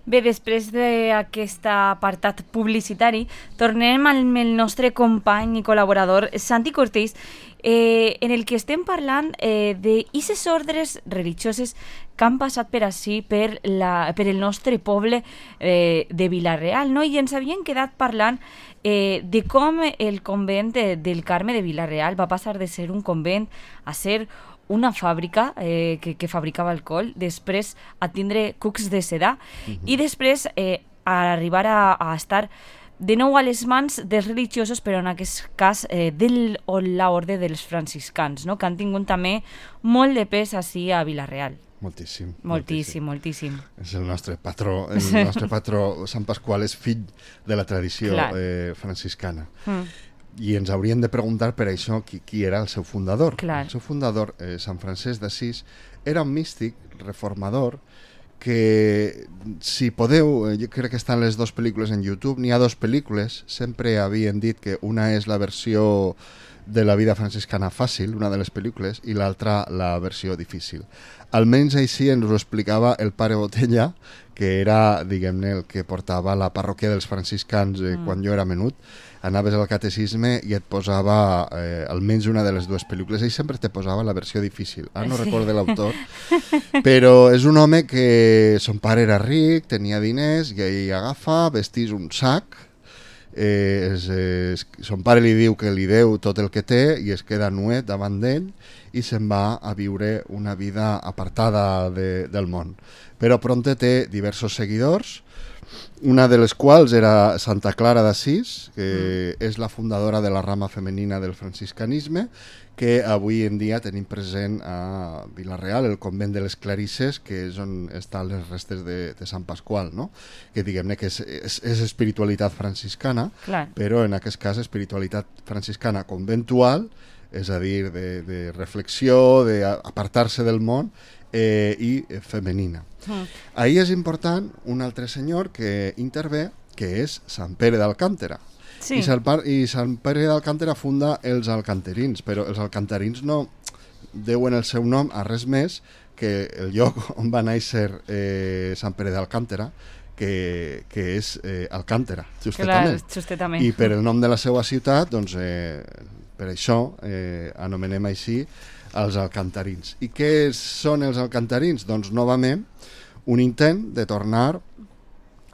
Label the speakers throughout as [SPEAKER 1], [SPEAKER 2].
[SPEAKER 1] Bé, després d'aquest apartat publicitari, tornem amb el nostre company i col·laborador Santi Cortés, en el que estem parlant d'aquestes ordres religioses que han passat per ací, per el nostre poble de Vila-real, no? I ens havien quedat parlant de com el convent del Carme de Vila-real va passar de ser un convent a ser una fàbrica que fabricava alcohol, després a tindre cucs de sedar i després a arribar a estar de nou a les mans dels religiosos, però en aquest cas de l'orde dels franciscans, no? Que han tingut també molt de pes ací a Vila-real.
[SPEAKER 2] Moltíssim.
[SPEAKER 1] Moltíssim.
[SPEAKER 2] És el nostre patró, Sant Pasqual és fill de la tradició franciscana. I ens hauríem de preguntar per això qui era el seu fundador.
[SPEAKER 1] Clar.
[SPEAKER 2] El seu fundador, Sant Francesc d'Assís, era un místic reformador que, si podeu, jo crec que estan les dues pel·lícules en YouTube, n'hi ha dues pel·lícules, sempre havien dit que una és la versió de la vida franciscana fàcil, una de les pel·lícules, i l'altra la versió difícil. Almenys així ens ho explicava el pare Botella, que era, diguem-ne, el que portava la parròquia dels franciscans quan jo era menut. Anaves al catecisme i et posava almenys una de les dues pel·lícules. Ell sempre te posava la versió difícil. No recordo l'autor, però és un home que son pare era ric, tenia diners, i ell agafa, vestís un sac, son pare li diu que li deu tot el que té i es queda nuet davant d'ell i se'n va a viure una vida apartada del món. Però prompte té diversos seguidors, una de les quals era Santa Clara d'Assís, que és la fundadora de la rama femenina del franciscanisme, que avui en dia tenim present a Vila-real, el convent de les Clarisses, que és on estan les restes de Sant Pasqual, no? Que diguem-ne que és espiritualitat franciscana,
[SPEAKER 1] clar,
[SPEAKER 2] però en aquest cas espiritualitat franciscana conventual, és a dir, de reflexió, d'apartar-se del món, i femenina. Ahí és important un altre senyor que intervé, que és Sant Pere d'Alcántara.
[SPEAKER 1] sí.
[SPEAKER 2] I Sant Pere d'Alcántara funda els alcanterins, però els alcanterins no deuen el seu nom a res més que el lloc on va néixer Sant Pere d'Alcántara, que és Alcántara,
[SPEAKER 1] justament.
[SPEAKER 2] I per el nom de la seva ciutat, doncs, per això anomenem així els alcantarins. I què són els alcantarins? Doncs, novament, un intent de tornar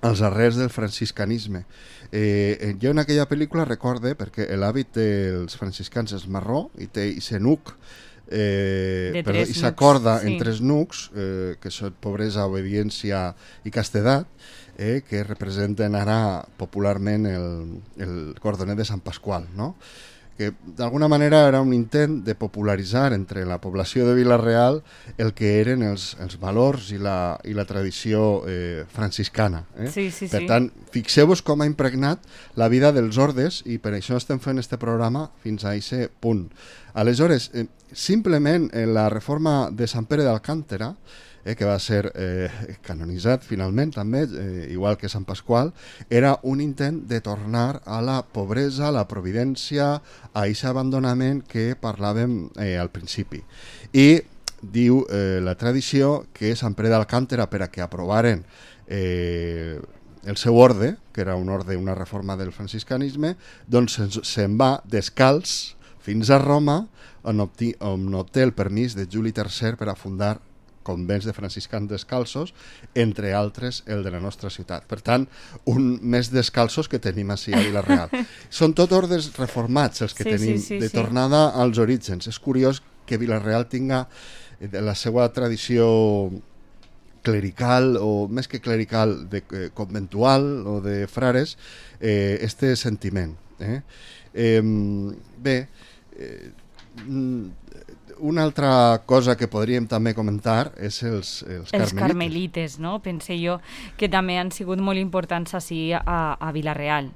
[SPEAKER 2] als arrels del franciscanisme. Jo en aquella pel·lícula recorde, perquè l'hàbit dels franciscans és marró i té aquest nuc, i s'acorda en tres nucs, que són pobresa, obediència i castedat, que representen ara popularment el cordoner de Sant Pasqual, no? Que d'alguna manera era un intent de popularitzar entre la població de Vila-real el que eren els valors i la tradició franciscana.
[SPEAKER 1] Sí.
[SPEAKER 2] Per tant, fixeu-vos com ha impregnat la vida dels ordes i per això estem fent este programa fins a aquest punt. Aleshores, simplement la reforma de Sant Pere d'Alcántara, que va ser canonitzat finalment també, igual que Sant Pasqual, era un intent de tornar a la pobresa, a la providència, a aquest abandonament que parlàvem al principi. I diu la tradició que Sant Pere d'Alcántara, per a que aprovaren el seu orde, que era un orde, una reforma del franciscanisme, doncs se'n va descalç fins a Roma, on obté el permís de Juli III per a fundar convents de franciscans descalços, entre altres el de la nostra ciutat. Per tant, un més descalços que tenim així a Vila-real. Són tot ordes reformats els que tenim, de tornada als orígens. És curiós que Vila-real tinga la seva tradició clerical, o més que clerical, conventual o de frares, este sentiment. Bé, una altra cosa que podríem també comentar és els
[SPEAKER 1] carmelites, no? Pense jo que també han sigut molt importants així a Vila-real.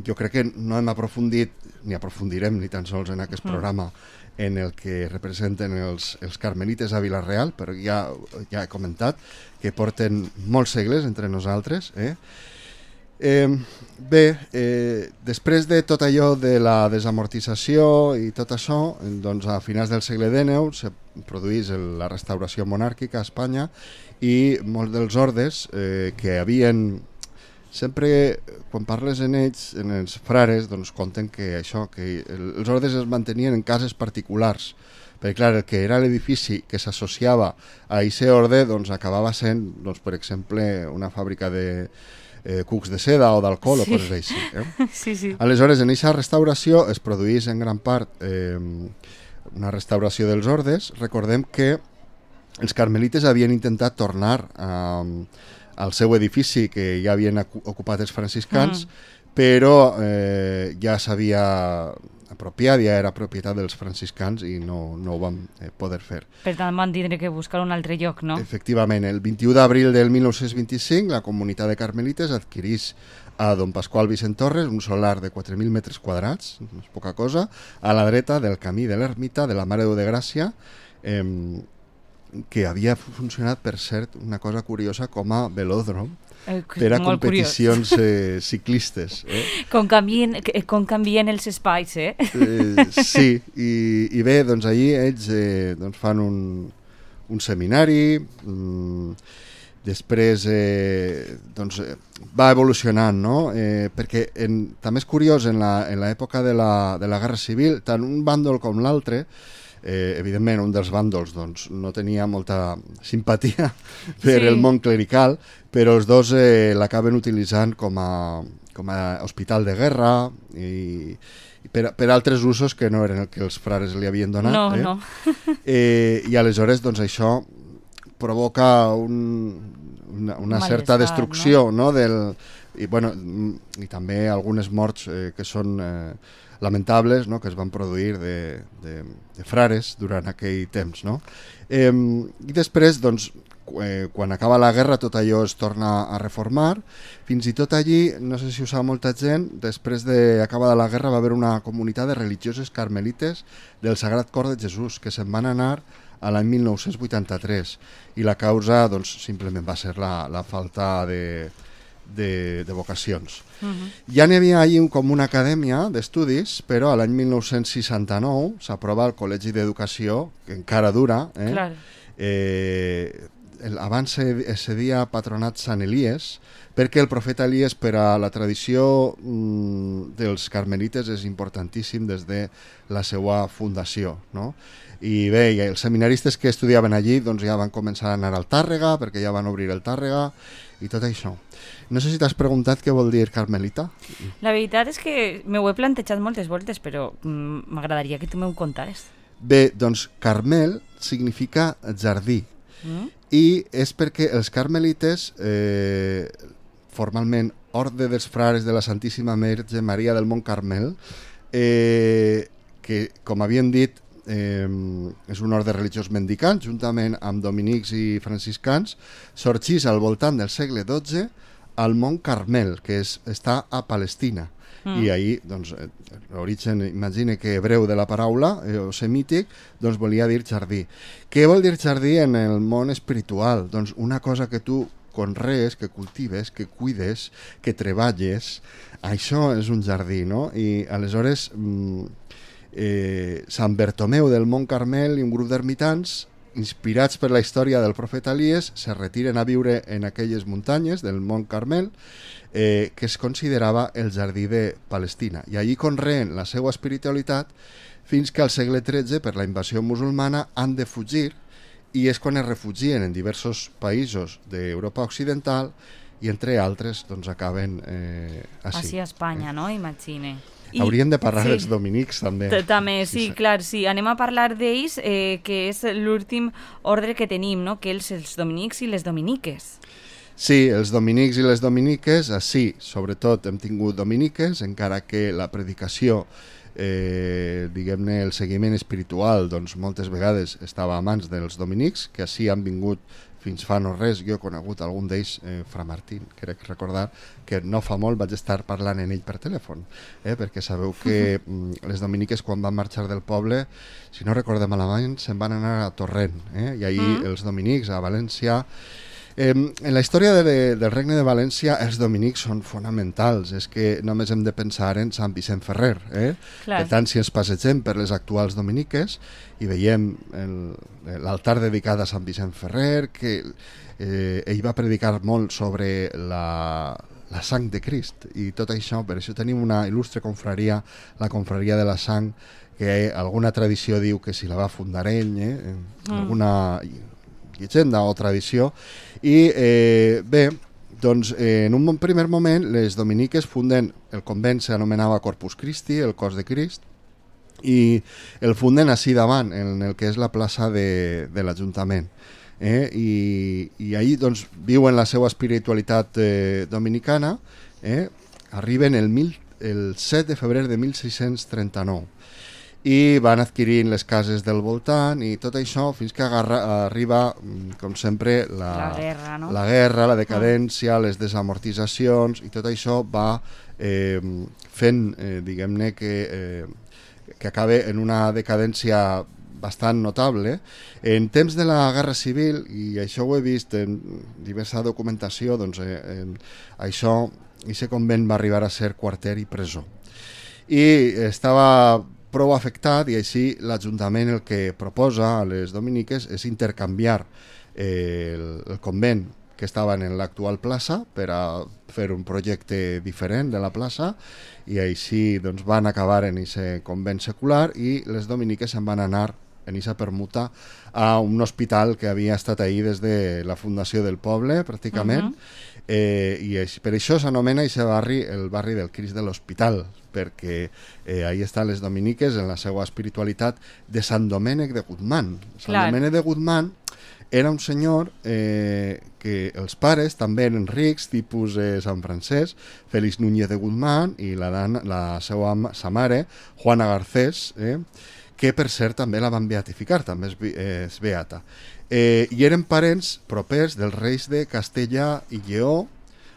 [SPEAKER 2] Jo crec que no hem aprofundit, ni aprofundirem ni tan sols en aquest programa, en el que representen els carmelites a Vila-real, però ja he comentat que porten molts segles entre nosaltres, Bé, després de tot allò de la desamortització i tot això, doncs a finals del segle XIX se produís la restauració monàrquica a Espanya i molts dels ordes que havien... Sempre, quan parles en ells, en els frares, doncs conten que això, que els ordes es mantenien en cases particulars, perquè clar, el que era l'edifici que s'associava a aquest orde doncs acabava sent, doncs, per exemple, una fàbrica de cucs de seda o d'alcohol o coses així.
[SPEAKER 1] Sí, sí.
[SPEAKER 2] Aleshores, en aquesta restauració es produís en gran part una restauració dels ordes. Recordem que els carmelites havien intentat tornar al seu edifici que ja havien ocupat els franciscans, però ja s'havia apropiat, ja era propietat dels franciscans i no ho van poder fer.
[SPEAKER 1] Per tant, van tindre que buscar un altre lloc, no?
[SPEAKER 2] Efectivament, el 21 d'abril del 1925 la comunitat de carmelites adquirís a Don Pasqual Vicent Torres un solar de 4.000 metres quadrats, no és poca cosa, a la dreta del camí de l'ermita de la Mare de Déu de Gràcia, que havia funcionat, per cert, una cosa curiosa, com a velòdrom per a competicions ciclistes.
[SPEAKER 1] Com canvien els espais,
[SPEAKER 2] Sí, i bé, doncs allí ells doncs fan un seminari, després doncs, va evolucionant, no? Perquè també és curiós, en l'època de la Guerra Civil, tant un bàndol com l'altre, evidentment un dels bàndols doncs, no tenia molta simpatia per el món clerical, però els dos l'acaben utilitzant com a hospital de guerra i per altres usos que no eren el que els frares li havien donat.
[SPEAKER 1] No.
[SPEAKER 2] I aleshores doncs, això provoca una certa destrucció, no? I també algunes morts que són lamentables, no? Que es van produir de frares durant aquell temps, no? I després, doncs, quan acaba la guerra, tot allò es torna a reformar. Fins i tot allí, no sé si ho sap molta gent, després d'acabada la guerra va haver una comunitat de religioses carmelites del Sagrat Cor de Jesús que se'n van anar a l'any 1983 i la causa doncs, simplement va ser la falta de vocacions. Ja n'hi havia allí com una acadèmia d'estudis, però a l'any 1969 s'aprova el Col·legi d'Educació, que encara dura. Abans es cedia patronat Sant Elies, perquè el profeta Elies per a la tradició dels carmelites és importantíssim des de la seva fundació, no? I bé, els seminaristes que estudiaven allí doncs ja van començar a anar al Tàrrega, perquè ja van obrir el Tàrrega i tot això. No sé si t'has preguntat què vol dir carmelita.
[SPEAKER 1] La veritat és que m'ho he plantejat moltes voltes, però m'agradaria que tu m'ho contares.
[SPEAKER 2] Bé, doncs Carmel significa jardí i és perquè els carmelites, formalment Orde dels Frares de la Santíssima Verge Maria del Mont Carmel, que com havien dit és un orde religiós mendicant, juntament amb dominics i franciscans, sorgís al voltant del segle XII al Mont Carmel, que està a Palestina. I ahir, doncs, l'origen, imagine que hebreu de la paraula, o semític, doncs volia dir jardí. Què vol dir jardí en el món espiritual? Doncs una cosa que tu conrees, que cultives, que cuides, que treballes, això és un jardí, no? I aleshores Sant Bertomeu del Mont Carmel i un grup d'ermitans, inspirats per la història del profeta Elies, se retiren a viure en aquelles muntanyes del Mont Carmel, que es considerava el jardí de Palestina. I allí conreen la seva espiritualitat fins que al segle XIII, per la invasió musulmana, han de fugir, i és quan es refugien en diversos països d'Europa Occidental i, entre altres, doncs acaben
[SPEAKER 1] així a Espanya, no? Imagine.
[SPEAKER 2] Hauríem de parlar dels dominics, també.
[SPEAKER 1] També, sí, clar, sí. Anem a parlar d'ells, que és l'últim ordre que tenim, no? Que els dominics i les dominiques.
[SPEAKER 2] Sí, els dominics i les dominiques, sí, sobretot hem tingut dominiques, encara que la predicació, diguem-ne, el seguiment espiritual, doncs moltes vegades estava a mans dels dominics, que així han vingut fins fa no res. Jo he conegut algun d'ells, Fra Martín, crec recordar que no fa molt vaig estar parlant en ell per telèfon, perquè sabeu que les dominiques, quan van marxar del poble, si no recordem malament, se'n van anar a Torrent, i ahir els dominics a València En la història del Regne de València els dominics són fonamentals, és que només hem de pensar en Sant Vicent Ferrer. Per tant, si ens passegem per les actuals dominiques i veiem l'altar dedicat a Sant Vicent Ferrer, que ell va predicar molt sobre la sang de Crist i tot això, per això tenim una il·lustre confraria, la confraria de la sang, que alguna tradició diu que si la va fundar ell, alguna llegenda o tradició, i bé, doncs en un primer moment les dominiques funden, el convent s'anomenava Corpus Christi, el cos de Crist, i el funden així davant, en el que és la plaça de l'Ajuntament. I ahir doncs, viuen la seva espiritualitat dominicana, arriben el 7 de febrer de 1639 i van adquirint les cases del voltant i tot això fins que arriba, com sempre,
[SPEAKER 1] la guerra, no?
[SPEAKER 2] La guerra, la decadència, les desamortitzacions, i tot això va fent, diguem-ne, que acaba en una decadència bastant notable. En temps de la Guerra Civil, i això ho he vist en diversa documentació, doncs aquest convent va arribar a ser quarter i presó. I estava prou afectat, i així l'Ajuntament el que proposa a les dominiques és intercanviar el convent que estava en l'actual plaça per a fer un projecte diferent de la plaça, i així doncs, van acabar en aquest convent secular i les dominiques se'n van anar en aquesta permuta a un hospital que havia estat ahir des de la fundació del poble, pràcticament, i per això s'anomena aquest barri el barri del Crist de l'Hospital, perquè ahí estan les dominiques en la seva espiritualitat de Sant Domènec de Guzmán. Sant Domènec de Guzmán era un senyor que els pares també eren rics, tipus Sant Francesc, Félix Núñez de Guzmán, i sa mare, Juana Garcés, que per cert també la van beatificar, també és beata. I eren parents propers dels reis de Castella i Lleó,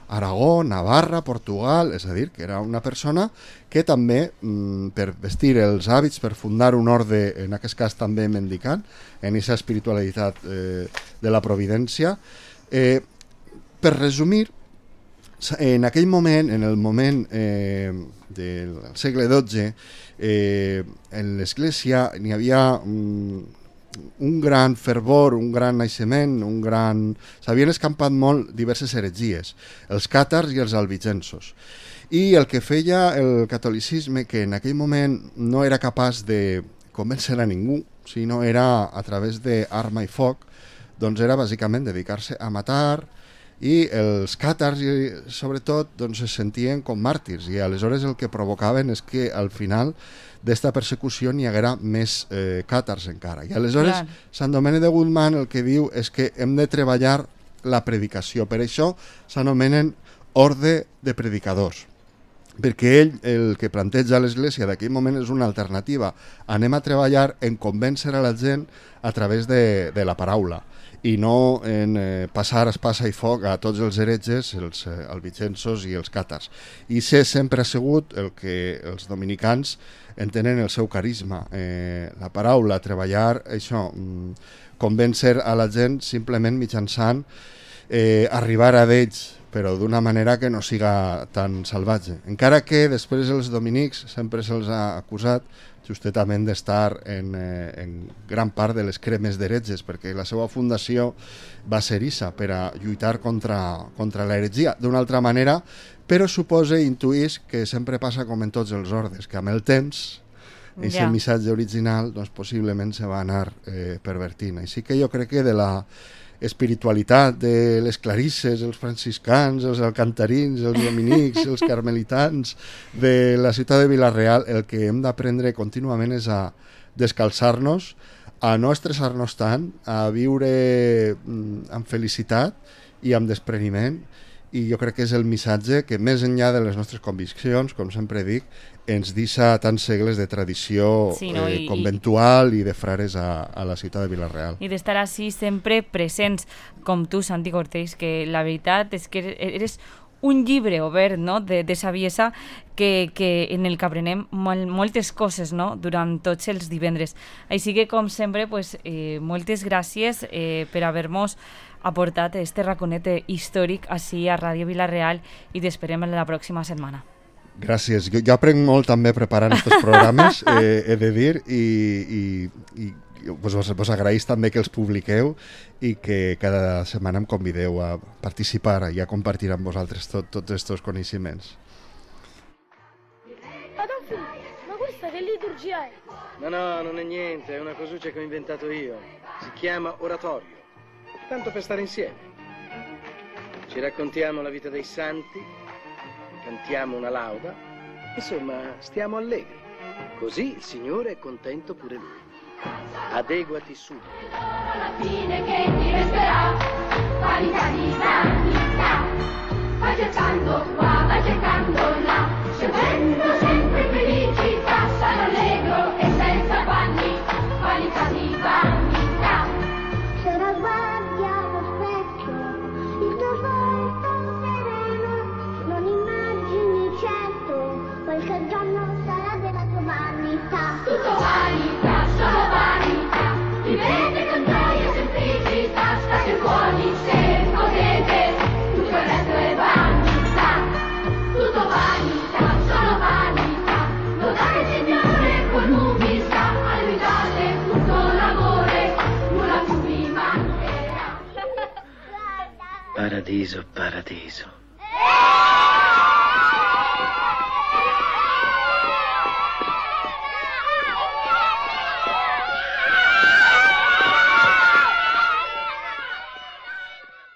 [SPEAKER 2] Aragó, Navarra, Portugal, és a dir, que era una persona que també, per vestir els hàbits, per fundar un orde, en aquest cas també mendicant, en aquesta espiritualitat de la providència. Per resumir, en aquell moment, en el moment del segle XII, en l'Església n'hi havia un gran fervor, un gran naixement, s'havien escampat molt diverses heretgies, els càtars i els albigensos. I el que feia el catolicisme, que en aquell moment no era capaç de convèncer a ningú, sinó era a través d'arma i foc, doncs era bàsicament dedicar-se a matar, i els càtars, sobretot, doncs, es sentien com màrtirs, i aleshores el que provocaven és que al final d'esta persecució n'hi haguera més càtars encara. I aleshores Sant Domènec de Guzmán el que diu és que hem de treballar la predicació. Per això s'anomenen orde de predicadors, perquè ell el que planteja a l'Església d'aquell moment és una alternativa. Anem a treballar en convèncer a la gent a través de la paraula, i no en passar espasa i foc a tots els heretges, els albigensos i els càtars. I sempre ha sigut el que els dominicans entenen el seu carisma, la paraula, treballar això, convèncer a la gent simplement mitjançant arribar a d'ells, però d'una manera que no siga tan salvatge. Encara que després els dominics sempre se'ls ha acusat justament d'estar en gran part de les cremes d'heretges, perquè la seva fundació va ser issa, per a lluitar contra l'heretgia. D'una altra manera, però suposa i intuïs que sempre passa com en tots els ordes, que amb el temps aquest missatge original doncs, possiblement se va anar pervertint. Així que jo crec que de la espiritualitat de les clarisses, els franciscans, els alcantarins, els dominics, els carmelitans de la ciutat de Vila-real, el que hem d'aprendre contínuament és a descalçar-nos, a no estressar-nos tant, a viure amb felicitat i amb despreniment, i jo crec que és el missatge que, més enllà de les nostres conviccions, com sempre dic, ens deixa tants segles de tradició conventual i de frares a la ciutat de Vila-real.
[SPEAKER 1] I d'estar així sempre presents, com tu, Santi Cortés, que la veritat és que eres un llibre obert, no?, de saviesa que en el que aprenem moltes coses, no?, durant tots els divendres. Així que, com sempre, pues, moltes gràcies per haver-nos aportat este raconet històric així a Ràdio Vila-real i t'esperem la pròxima setmana.
[SPEAKER 2] Gràcies. Jo aprenc molt també preparant aquests programes, he de dir, i vos agraïs també que els publiqueu i que cada setmana em convideu a participar i a compartir amb vosaltres tots aquests coneixements.
[SPEAKER 3] Adolfo, ma questa che liturgia è?
[SPEAKER 4] No, non è niente, è una cosuccia che ho inventato io. Si chiama oratorio, tanto per stare insieme. Ci raccontiamo la vita dei santi, cantiamo una lauda, insomma, stiamo allegri. Così il Signore è contento pure Lui. Adeguati subito.
[SPEAKER 5] Alla fine che ti resterà, qualità di sanità. Vai cercando qua, vai cercando là, scegliendo sempre felicità. Sano allegro e senza panni, qualità di vanità.
[SPEAKER 6] Se la guardi allo specchio, il tuo volto sereno, non immagini certo quel che il giorno sarà della tua vanità.
[SPEAKER 5] Tutto vanità, solo vanità, vivete con gioia e semplicità, state buoni se potete, tutto il resto è vanità. Tutto vanità, solo vanità, lodate il Signore con umiltà, aiutate tutto l'amore, nulla più vi mancherà.
[SPEAKER 4] Paradiso, paradiso.